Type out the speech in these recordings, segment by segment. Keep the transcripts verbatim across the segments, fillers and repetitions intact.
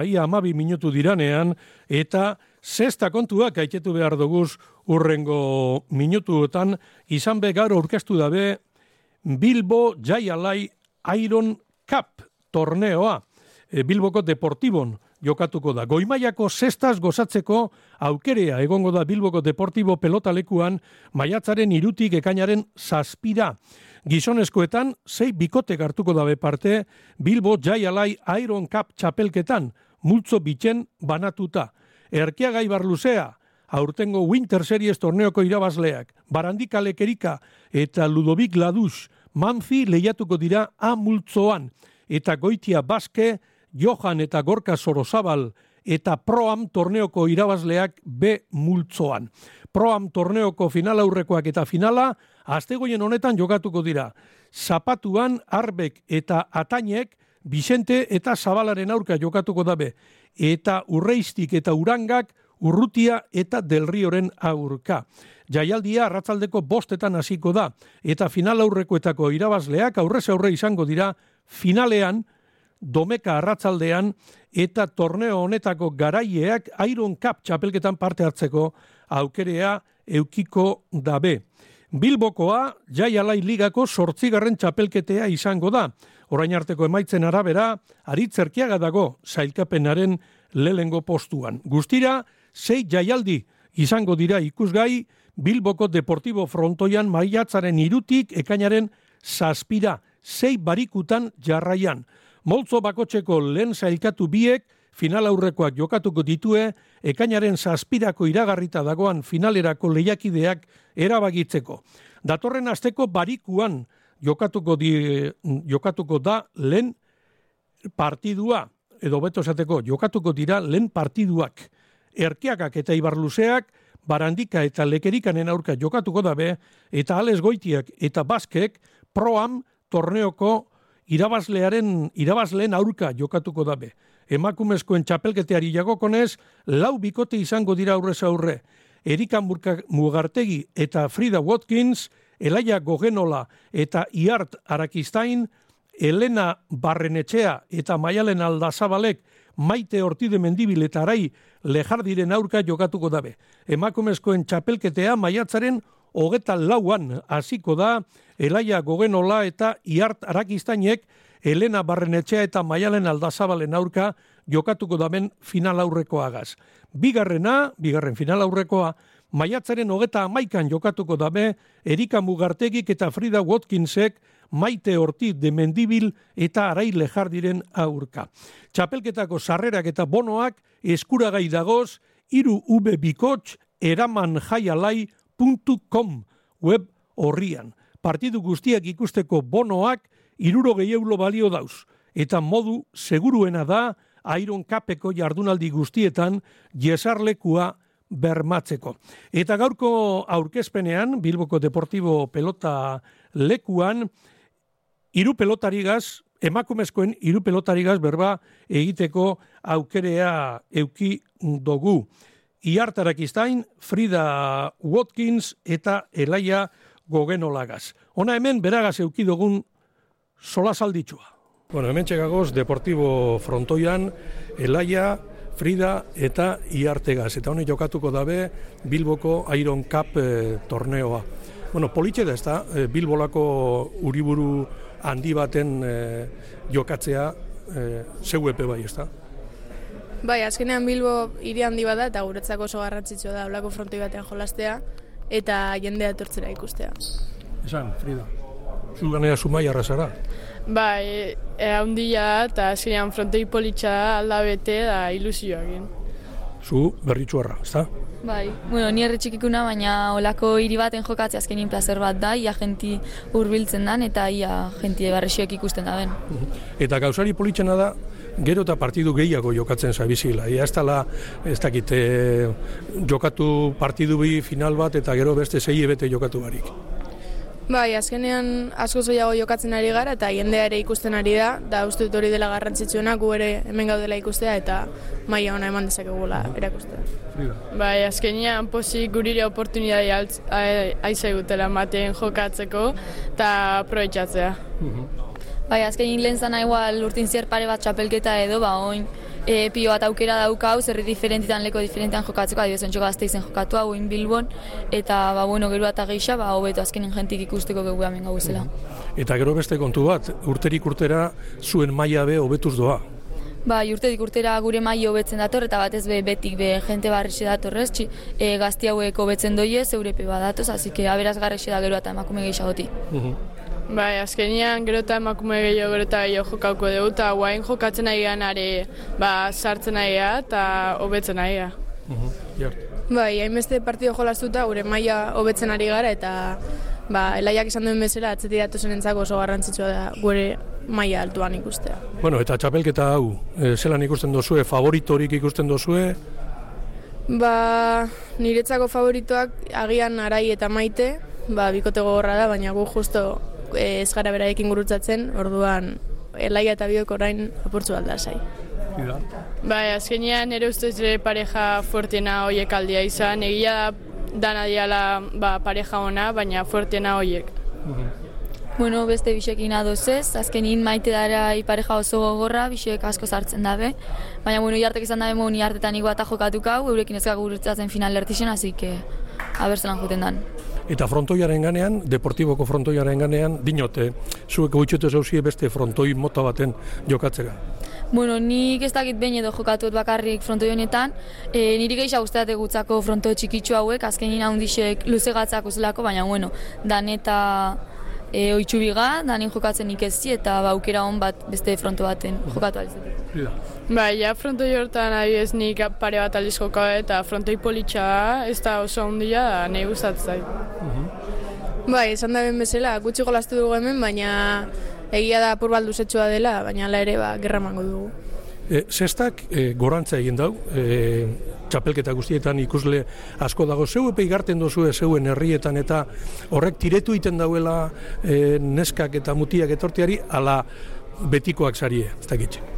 Ia amabi minutu diranean, eta zesta kontuak aitetu behar duguz urrengo minutuetan, izan be gaur aurkeztu dabe Bilbo Jai Alai Iron Cup torneoa. E, Bilboko Deportibon jokatuko da. Goimaiako zestaz gozatzeko aukerea egongo da Bilboko Deportibo pelotalekuan maiatzaren irutik ekainaren zazpira. Gizonezkoetan, sei bikotek hartuko dabe parte Bilbo Jai Alai Iron Cup txapelketan, multzo bitzen banatuta. Erkiagai Barluzea, aurtengo Winter Series torneoko irabazleak, Barandika Lekerika eta Ludovic Laduz, Manfi lehiatuko dira A multzoan, eta Goitia Baske, Johan eta Gorka Sorozabal, eta Proam torneoko irabazleak B multzoan. Proam torneoko final aurrekoak eta finala, astegoien honetan jokatuko dira. Zapatuan, Arbek eta Atainek, Vicente eta Zabalaren aurka jokatuko dabe, eta Urreiztik eta Urangak Urrutia eta Delrioren aurka. Jaialdia arratsaldeko bostetan hasiko da, eta final aurrekoetako irabazleak aurrez aurre izango dira finalean, domeka arratsaldean, eta torneo honetako garaieak Iron Cup txapelketan parte hartzeko aukerea eukiko dabe. Bilbokoa Jai Alai Ligako zortzigarren txapelketea izango da. Orain arteko emaitzen arabera, Aritz Erkiaga dago sailkapenaren lehengo postuan. Guztira, sei jaialdi izango dira ikusgai Bilboko Deportibo frontoian maiatzaren irutik ekainaren zazpira, sei barikutan jarraian. Moltzo bakotxeko lehen sailkatu biek, final aurrekoak jokatuko ditue, ekainaren zazpirako iragarrita dagoan finalerako lehiakideak erabagitzeko. Datorren asteko barikuan jokatuko, di, jokatuko da lehen partidua, edo beto esateko, jokatuko dira lehen partiduak. Erkiagak eta Ibarluzeak, Barandika eta Lekerikanen aurka jokatuko dabe, eta Ales Goitiak eta Baskek Proam torneoko irabazlearen irabazleen aurka jokatuko dabe. Emakumezkoen txapelketeari jagokonez, lau bikote izango dira aurrez aurre. Erika Mugartegi eta Frida Watkins, Elaia Gogenola eta Iart Arakistain, Elena Barrenetxea eta Maialen Aldazabalek, Maite Ortide Mendibil eta Arai Lejardiren aurka jokatuko dabe. Emakumezkoen txapelketea maiatzaren hogeta lauan hasiko da, Elaia Gogenola eta Iart Arakistainek, Elena Barrenetxea eta Maialen Aldazabalen aurka jokatuko daben final aurrekoagaz. Bigarrena, bigarren final aurrekoa, maiatzaren hogeta amaikan jokatuko dabe, Erika Mugartegik eta Frida Watkinsek, Maite Ortiz de Mendibil eta Arai Lejardiren aurka. Txapelketako sarrerak eta bonoak eskuragai dagoz, hiru v bikots eraman jaialai puntu com web horrian. Partidu guztiak ikusteko bonoak hirurogei euro balio dauz, eta modu seguruena da Iron Cupeko jardunaldi guztietan jesarlekua bermatzeko. Eta gaurko aurkezpenean, Bilboko Deportibo pelota lekuan, hiru pelotarigaz, emakumezkoen hiru pelotarigaz berba egiteko aukerea euki dugu. Iart Arakistain, Frida Watkins eta Elaia Gogenolagaz. Ona hemen beragaz euki dugun sola salditxua. Bueno, hemen txegagoz Deportibo frontoian, Elaia, Frida eta Iartegaz. Eta honek jokatuko dabe Bilboko Iron Cup eh, torneoa. Bueno, politxe da ez da, eh, Bilbolako uriburu handi baten eh, jokatzea eh, zeu epe bai ez da. Bai, azkenean Bilbo hiri handi bada eta guretzako oso garrantzitsua da olako frontoi batean jolastea eta jendea etortzera ikustea. Esan, Frida, zu ganea Zumai arrasara? Bai, handia eta azkenean frontoi politxa alda bete da ilusioa egin. Zu berritxuarra, ez da? Bai, bueno, ni erretxikikuna, baina olako hiri baten jokatzea azkenin plazer bat da, ia jenti hurbiltzen dan eta ia jenti barresioek ikusten da ben. Eta gauzari politxena da, gero eta partidu gehiago jokatzen zabizila. Ia ez dala, ez dakit, e, jokatu partidu bi final bat eta gero beste sei ebete jokatu barik. Bai, azkenean asko zoiago jokatzen ari gara eta jendea ere ikusten ari da, da uste dut hori dela garrantzitsuena, gu ere hemen gaudela ikustea eta maila ona eman dezakegula erakustea. Bai, azkenean pozik gurire oportunidadea aizaigutela ematen jokatzeko eta aprobetxatzea. Bai, azkenin lehen zana igual urtin zer pare bat txapelketa edo, ba, oin, e, pio bat aukera daukau, zerri diferentitan, leko diferentitan jokatzeko, adibidez ontxo Gasteizen jokatu hau, oin Bilbon, eta, ba, bueno, gero eta geisha, ba, hobeto azkenin jentik ikusteko gegu hemen gauzela. Eta gero beste kontu bat, urterik urtera zuen maila be hobetuz doa. Ba, urtetik urtera gure maila hobetzen dator, eta batez be betik be jente barrexe datorrez, txi, e, gazti hauek hobetzen doie, zeurepe badatoz, así que aberazgarrexe da gero eta emakume gehiagoti. Bai, azkenian gero eta emakume gehiago gero eta gehiago jokauko dugu, eta guain jokatzen nahi are, ba, sartzen nahi eta hobetzen nahi ga. Bai, hainbeste partido jolastuta gure maila hobetzen ari gara, eta ba, Elaiak esan duen bezala, atzeti datozen entzako oso garrantzitsua da gure maila altuan ikustea. Bueno, eta txapelketa hau, e, zelan ikusten dozue, favoritorik ikusten dozue? Ba, niretzako favoritoak agian Arai eta Maite, ba, bikote gogorra da, baina gu justo e, ez gara beraiekin gurutzatzen, orduan Elaia eta biok orain apurtzu alda zai. Bai, azkenean ere ustez ere pareja fuertena hoiek aldia izan, egia da dana diala ba, pareja ona, baina fuertena hoiek. Bueno, beste bisekin adoz ez, azkenin Maite dara pareja oso gogorra, bisek asko sartzen dabe, baina bueno, iartek izan dabe moni hartetan igua eta jokatukau, eurekin ezkak gurutzatzen final lertixen, así que abertzelan juten dan. Eta frontoiaren ganean, Deportiboko frontoiaren ganean, dinote, zuek gutxetu zauzie beste frontoi mota baten jokatzera. Bueno, nik ez dakit behin edo jokatuet bakarrik frontoi honetan, e, niri gehiago guztate gutzako fronto txikitsu hauek, azkenin handixek luze gatzak uzelako, baina bueno, dan eta e, oitxubiga, danin jokatzen nik ezzi, eta baukera hon bat beste fronto baten jokatu alizetik. Bai, ja frontoi hortan adibidez nik pare bat aldiz jokatu eta frontoi politxa da, ez da oso handia da, nahi gustatzen zait. Bai, esan da ben bezala, gutxi jolastu dugu hemen, baina egia da apur bat luzetxua dela, baina ala ere ba, gerra emango dugu. E, Zestak e, gorantza egin dau, e, txapelketa guztietan ikusle asko dago, zeu epe igarten dozue zeuen herrietan eta horrek tiretu iten dauela e, neskak eta mutiak etorteari, ala betikoak zarie, ez dakitxe.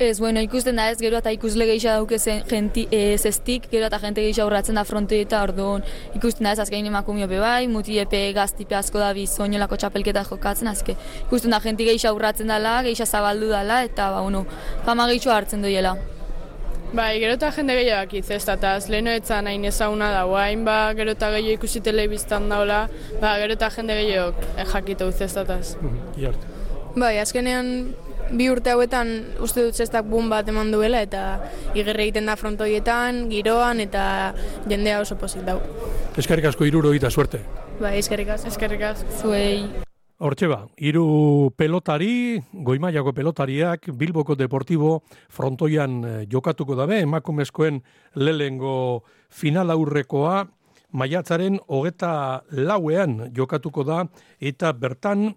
Ez, bueno, ikusten da ez, gero eta ikusle geisha dauke jenti, e, zestik, gero eta jente geisha urratzen da frontoi eta orduan ikusten da ez, azkein emakumio be bai, mutiepe gaztipe asko da bizoinolako txapelketa jokatzen, azke ikusten da jenti geisha urratzen dela, geisha zabaldu dela, eta ba, bueno, fama geisho hartzen doiela. Bai, gero eta jende gehiago iztestataz, leheno etzan hain ezaguna da, hain ba, gero eta gehiago ikusi telebiztan daula, ba, gero eta jende gehiago jakitu iztestataz. Bai, azkenean bi urte hauetan uste dut zestak bun bat eman duela eta igerre egiten da frontoietan, giroan eta jendea oso pozik dau. Eskerrik asko hiruro eta suerte. Bai, eskerrik asko. Eskerrik asko. Zuei. Hortxe ba, hiru pelotari, goimaiako pelotariak, Bilboko Deportibo frontoian jokatuko dabe, emakumezkoen lehengo final aurrekoa, maiatzaren hogeta lauean jokatuko da, eta bertan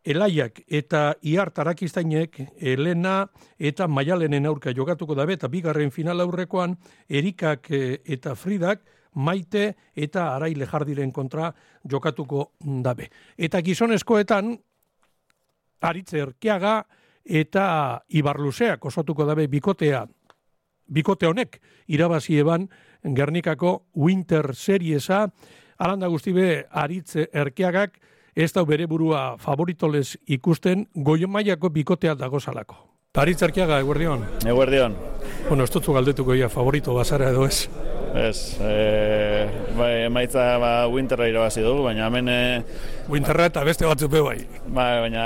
Elaiak eta Iart Arakiztainek Elena eta Maialenen aurka jokatuko dabe, eta bigarren final aurrekoan Erikak eta Fridak Maite eta Arai Lejardiren kontra jokatuko dabe. Eta gizonezkoetan Aritze Erkiaga eta Ibarluzeak osatuko dabe bikotea. Bikote honek irabazi eban Gernikako Winter Seriesa, alanda guztibe Aritze Erkiagak ez da bere burua favoritolez ikusten goio mailako bikotea dagozalako. Aritz Erkiaga, eguerdion. Eguerdion. Bueno, ez dutzu galdetuko ia favorito bazara edo ez. Ez, e, bai, emaitza ba, Winterra irabazi dugu, baina hemen... E, Winterra eta beste batzuk be bai. Bai, baina,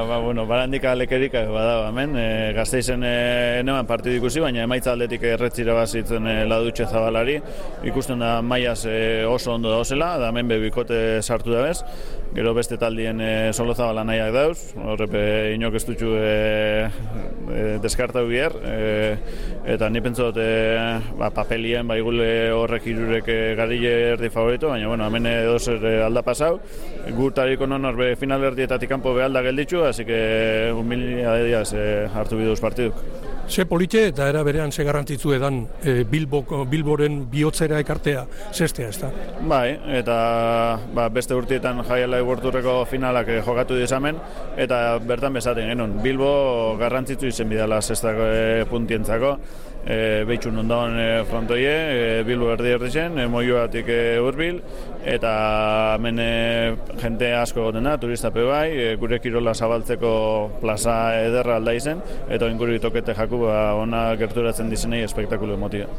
ba, bueno, barandika lekerika badago hemen, e, Gasteizen e, neman partidu ikusi, baina emaitza aldetik erretz irabazitzen e, Ladutxe Zabalari, ikusten da mailaz e, oso ondo dauzela, da hemen bebikote sartu da bez, gero beste taldien e, Solo Zabala nahiak dauz, horrepe inok ez dutxu e, e, deskartau bier, e, eta ni pentsu dut e, ba, papelien, ba, igule horrek irurek garile erdi favorito, baina bueno, hemen edozer alda pasau, gurtariko non horbe final erdietatik kanpo behalda gelditzu, así que humilia de días eh, hartu biduz partiduk. Ze politxe eta era berean ze garrantzitsu edan e, Bilboko, Bilboren bihotzera ekartea zestea, ez da? Bai, eta ba, beste urtietan jaiala egurturreko finalak eh, jokatu dizamen, eta bertan bezaten genuen. Bilbo garrantzitsu izen bidala zestako e, puntientzako, e, behitxun ondagoen e, frontoie, e, Bilbo erdi erdi zen, e, Moioatik e, hurbil, eta hemen e, jente asko egoten da, turistape bai, e, gure kirola zabaltzeko plaza ederra alda izen, eta inguru tokete jaku ba, ona gerturatzen dizenei espektakulu emotia.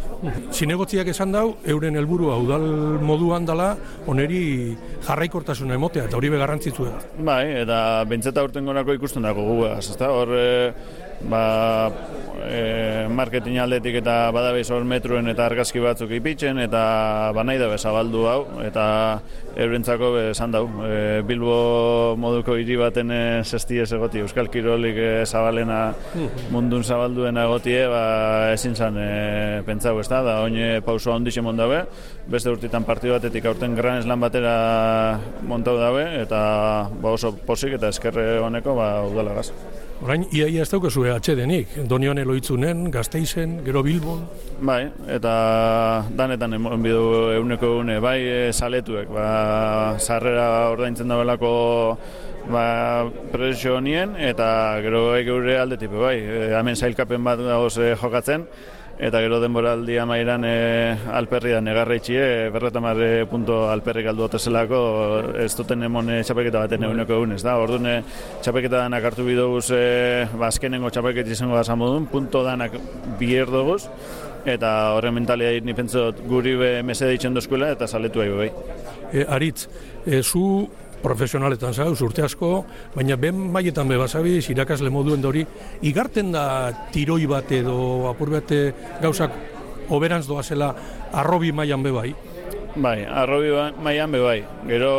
Zinegotziak esan dau, euren helburua udal moduan dala, oneri jarraikortasuna emotea, eta hori begarrantzitzu da. Bai, eta bentseta urten gorako ikusten dago guaz, ezta? Hor, e, ba, e, marketing aldetik eta badabeiz hor metruen eta argazki batzuk ipitzen, eta banai da bezabaldu hau, eta eurentzako esan dau. E, Bilbo moduko hiri baten e, zestiez egoti, Euskal Kirolik e, zabalena mundun zabalduena egotie, ba, ezin zan e, pentsau, ez da, da oine pausoa ondixe mondabe, beste urtitan partidu batetik aurten Gran Slam batera montau dabe, eta ba, oso posik eta eskerre honeko ba, udalagaz. Orain, iaia ez daukazu atxedenik, Donian Eloitzunen, Gasteizen, gero Bilbon. Bai, eta danetan emon bidu euneko une, bai e, saletuek, ba, sarrera ordaintzen dabelako ba, presio honien, eta gero geure aldetipe, bai, e, hemen zailkapen bat dagoz e, jokatzen, eta gero denboraldi amairan e, alperri da negarreitxie, berretamar punto alperrik aldu otezelako, ez duten emon e, txapelketa baten eguneko egun, ez da? Orduan e, txapelketa danak hartu bidoguz, e, ba, azkenengo txapelket izango da zamodun, punto danak bier doguz, eta horren mentalia ni pentsot guri be mese ditzen dozkuela, eta saletu ahi bai. E, Aritz, e, zu profesionaletan zauz, urte asko, baina ben maietan be basabiz, irakasle moduen dori, igarten da tiroi bat edo apur bate gauzak oberantz doazela arrobi mailan be bai? Bai, arrobi mailan be bai. Gero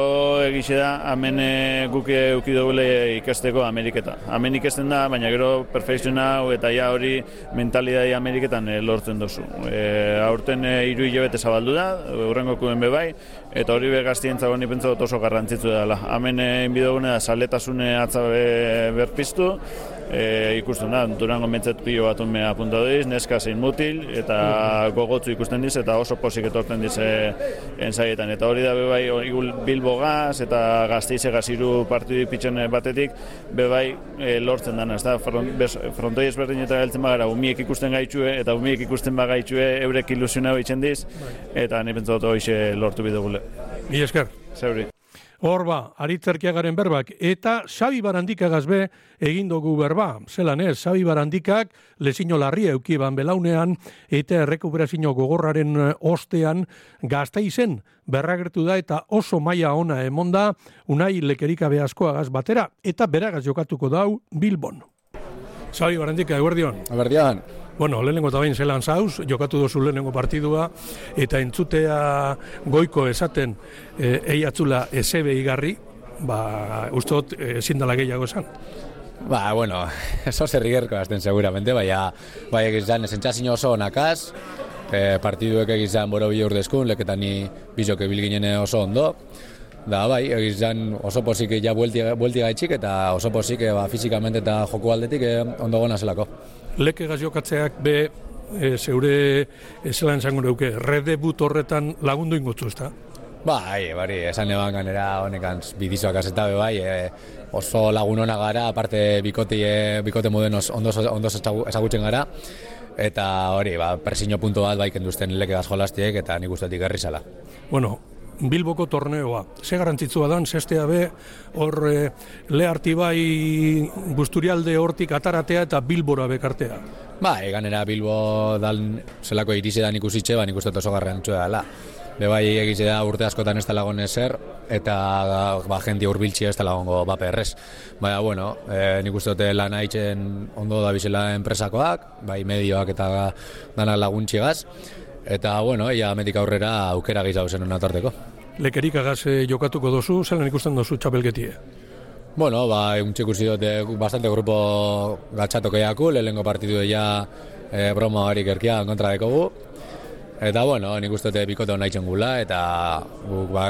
egixe da, hemen e, guk euki dugule ikasteko Ameriketa. Hemen ikasten da, baina gero perfekziona eta ja hori mentalidadi Ameriketan e, lortzen dozu. E, aurten e, hiru hilabete zabaldu da, urrengo kuen be bai, eta hori be gaztientzako ni pentsa dut oso garrantzitsu dela. Hemen egin bidogune da, saletasune atza be, berpiztu, e, ikusten da, Durango mentzet pilo bat unme apuntatu diz, neska zein mutil, eta gogotzu ikusten diz, eta oso posik etorten diz e, ensaietan. Eta hori da bebai Bilbo gaz eta Gasteize gaziru partidu pitzen batetik bebai e, lortzen dana, ez da, frontoi ezberdin eta geltzen bagara, umiek ikusten gaitxue, eta umiek ikusten bagaitxue eurek ilusiona bitzen diz, eta ni pentsa dut hoxe lortu bidegule. Mi esker. Zeuri. Hor ba, Aritz Erkiagaren berbak, eta Xabi Barandikagaz be egin dugu berba. Zelan ez, Xabi Barandikak lezino larria eukiban belaunean, eta errekuperazio gogorraren ostean Gasteizen berragertu da, eta oso maila ona emonda, Unai Lekerikabe askoagaz batera, eta beragaz jokatuko dau Bilbon. Xabi Barandika, eguerdion. Eguerdion. Bueno, lehenengo eta bain zelan zauz, jokatu dozu lehenengo partidua, eta entzutea goiko esaten e, eiatzula esebe igarri, ba, ustot ezin dela gehiago esan. Ba, bueno, eso zerrigerko azten seguramente, baina bai egizan esentxazio oso onakaz, e, partiduek egizan boro bi urdezkun, leketan ni bizok ebilginen oso ondo, da bai, egizan oso posik ja buelti gaitxik, eta oso posik ba, fizikamente eta joko aldetik e, ondo gona zelako. Leke gaziokatzeak be, e, zeure e, zelan zango neuke, redebut horretan lagundu ingotzu, ezta? Bai, bari, esan eban ganera honekan bidizoak azeta be bai, e, oso lagun hona gara, aparte bikote, e, bikote moden ondo, ondo ezagutzen gara, eta hori, ba, presio punto bat bai kenduzten leke gazjolastiek, eta nik ustetik herri zala. Bueno, Bilboko torneoa, ze garantzitsua dan, zestea be, hor e, leharti bai Busturialde hortik ataratea eta Bilbora bekartea. Ba, eganera Bilbo dal zelako irizedan ikusitxe, ba, nik uste oso garrantzua dela. Be bai egize da urte askotan ez talagon ezer, eta ba, jenti urbiltxia ez talagongo bape errez. Baina, bueno, e, nik uste dute lan haitzen ondo da bizela enpresakoak, bai medioak eta danak laguntxigaz, eta, bueno, ia metik aurrera aukera gehiago zen hona tarteko. Lekerikagaz e, jokatuko dozu, zelan ikusten dozu txapelketie? Bueno, ba, egun txekusi dute bastante grupo gatxatok eaku, lehenko partidu ja e, broma harik erkia kontra dekogu. Eta, bueno, nik uste dute bikote hona itzen gula, eta guk ba,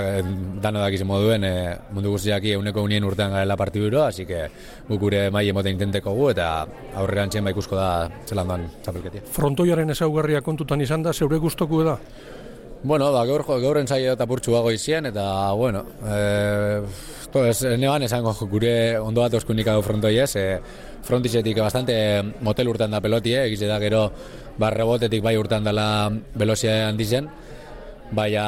dano dakizien moduen e, mundu guztiak euneko unien urtean garela partiduro, así que guk gure mai emote intenteko gu, eta aurreran txen ba ikusko da zelan doan txapelketia. Frontoiaren ezaugarria kontutan izan da, zeure guztoku da? Bueno, ba, gaur, gaur entzai eta purtsu bago izien, eta, bueno, e, to, ez, neban esango gure ondo bat oskunik hau frontoiez, e, frontizetik bastante motel urtean da pelotie, egize da gero ba, rebotetik bai urtan dela velozia handizen, baina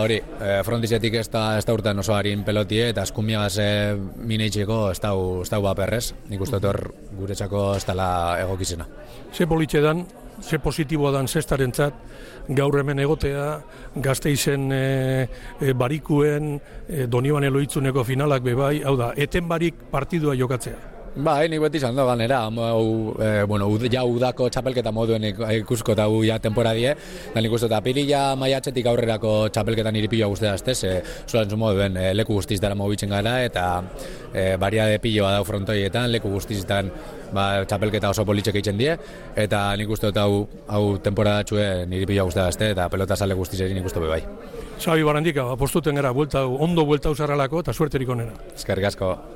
hori, e, frontizetik ez da, ez da urtan oso harin pelotie, eta eskumiagaz e, mineitzeko ez da ez da baperrez, nik uste hor guretzako ez dela egokizena. Ze politxe dan, ze positiboa dan zestarentzat, gaur hemen egotea, Gasteizen e, e, barikuen, e, Donibane Loitzuneko finalak bebai, hau da, eten barik partidua jokatzea. Ba, nik beti izan da ganera, hau, e, bueno, ud, ja udako txapelketa moduen ikusko eta hu ja temporadie, da nik uste eta pirila maiatzetik aurrerako txapelketan iripioa guztia azte, ze zulan zu moduen e, leku guztiz dara mobitzen gara, eta e, bariade piloa dau frontoietan, leku guztizitan ba, txapelketa oso politxek eitzen die, eta nik uste eta hau, hau temporadatxue iripioa guztia azte, eta pelota sale guztizeri nik uste bebai. Xabi Barandika, apostuten gara, buelta, ondo buelta usarralako eta suerterik onena. Eskerrik asko.